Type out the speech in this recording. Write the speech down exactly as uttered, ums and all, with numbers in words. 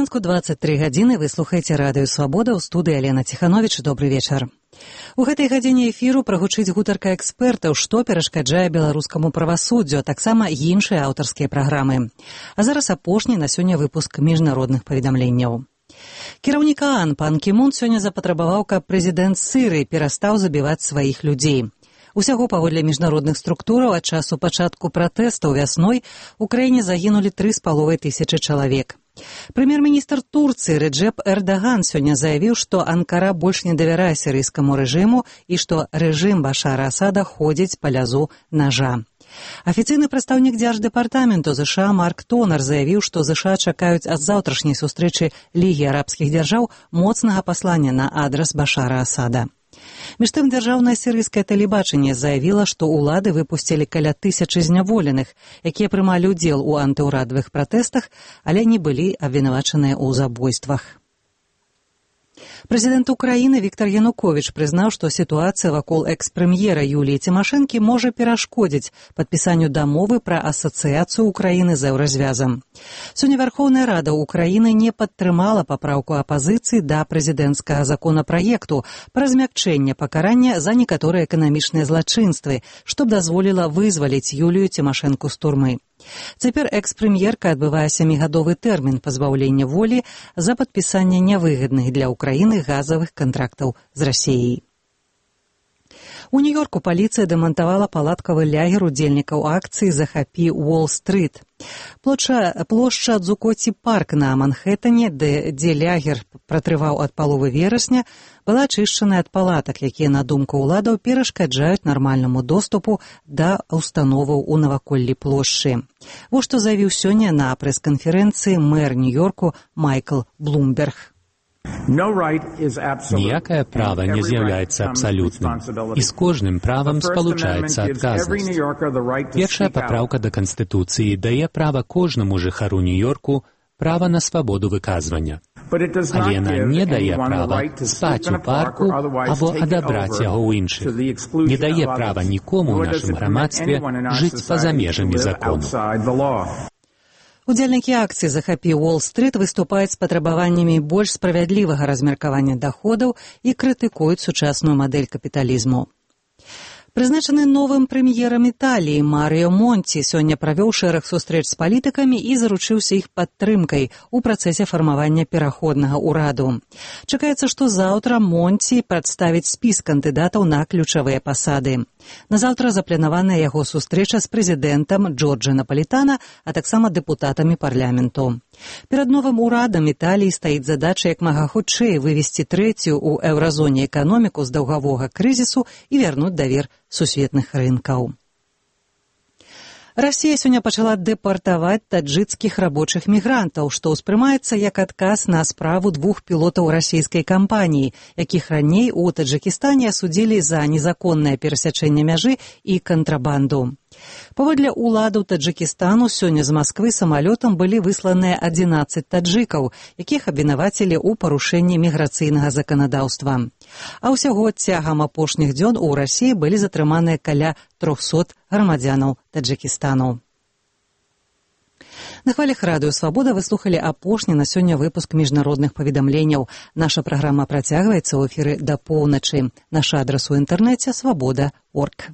світанку двадцать тры гадзіны вы слухаеце радыё «Свабода», ў студыі Алена Ціхановіч. Добры вечар. У гэтай гадзіне эфіру прагучыць гутарка экспертаў, што перашкаджае беларускаму правасуддзю, а таксама іншыя аўтарскія праграмы. А зараз апошні на сёння выпуск міжнародных паведамленняў. Кіраўнік ААН пан Кі Мун сёння запатрабаваў, каб прэзідэнт Сірыі перастаў забіваць сваіх людзей. Усяго паводле міжнародных структураў ад часу пачатку пратэстаў вясной у краіне загінулі тры з паловай тысячы чалавек. Прэм'ер-міністр Турцыі Реджеп Эрдаган сёння заявіў, што Анкара больш не давярае сірыйскаму рэжыму і што рэжым Башара Асада ходзіць па лязу нажа. Афіцыйны прадстаўнік дзярждэпартаменту ЗША Марк Тонар заявіў, што ЗША чакаюць ад заўтрашняй сустрэчы Лігі арабскіх дзяржаў моцнага паслання на адрас Башара Асада. Між тым, дзяржаўнае сірыйскае тэлебачанне заявіла, што ўлады выпусцілі каля тысячы зняволеных, якія прымалі ўдзел у антыўрадавых пратэстах, але не былі абвінавачаныя ў забойствах. Прэзідэнт Украіны Віктар Януковіч прызнаў, што сітуацыя вакол экс-прэм'ера Юліі Цімашэнкі можа перашкодзіць падпісанню дамовы пра асацыяцыю Украіны з еўразвязам. Сёння Вярхоўная Рада Украіны не падтрымала папраўку апазіцыі да прэзідэнцкага законапраекту пра змякчэнне пакарання за некаторыя эканамічныя злачынствы, што б дазволіла вызваліць Юлію Цімашэнку з турмы. Цяпер экс-прэм'ерка адбывае сямігадовы тэрмін пазбаўлення волі за падпісанне нявыгадных для Украіны газавых кантрактаў з Расіяй. У Нью-Йорку паліцыя дэмантавала палаткавы лягер удзельнікаў акцыі «Захапі Уолл-стрыт». Плошча, плошча Дзукоці парк на Манхэттане, дзе, дзе лягер пратрываў ад паловы верасня, была ачышчана ад палатак, якія, на думку ўладаў, перашкаджаюць нармальнаму доступу да установаў у наваколлі плошчы. Вось што заявіў сёння на прэс-канферэнцыі мэр Нью-Йорку Майкл Блумберг. Ніякае права не з'яўляецца абсалютным, і з кожным правам спалучаецца адказнасць. Першая папраўка да Канстытуцыі дае права кожнаму жыхару Нью-Йорку права на свабоду выказвання. Але яна не дае права спаць у парку або адабраць яго ў іншых. Не дае права нікому ў нашым грамадстве жыць па-за межамі закону. Удзельнікі акцыі «Захапі Уолл-стрыт» выступаюць з патрабаваннямі больш справядлівага размеркавання даходаў і крытыкуюць сучасную мадэль капіталізму. Прызначаны новым прэм'ерам Італіі Марыё Монці сёння правёў шэраг сустрэч з палітыкамі і заручыўся іх падтрымкай у працэсе фармавання пераходнага ўраду. Чакаецца, што заўтра Монці прадставіць спіс кандыдатаў на ключавыя пасады. Назаўтра запланаваная яго сустрэча з прэзідэнтам Джорджа Напалітана, а таксама дэпутатамі парламенту. Перад новым урадам Італіі стаіць задача як мага хутчэй вывесці трэцюю ў еўразоне эканоміку з даўгавога крызісу і вярнуць давер сусветных рынкаў. Расія сёння пачала дэпартаваць таджыкскіх рабочых мігрантаў, што ўспрымаецца як адказ на справу двух пілотаў расійскай кампаніі, якіх раней у Таджыкістане асудзілі за незаконнае перасячэнне мяжы і кантрабанду. Паводле ўладаў Таджыкістану сёння з Масквы самалётам былі высланыя адзінаццаць таджыкаў, якіх абвінавацілі ў парушэнні міграцыйнага заканадаўства. А ўсяго цягам апошніх дзён у Расіі былі затрыманыя каля трохсот грамадзянаў Таджыкістану. На хвалях радыё «Свабода» вы слухалі апошні на сёння выпуск міжнародных паведамленняў. Наша праграма працягваецца ў эфіры да поўначы. Наш адрас у інтэрнэце свабода крапка орг.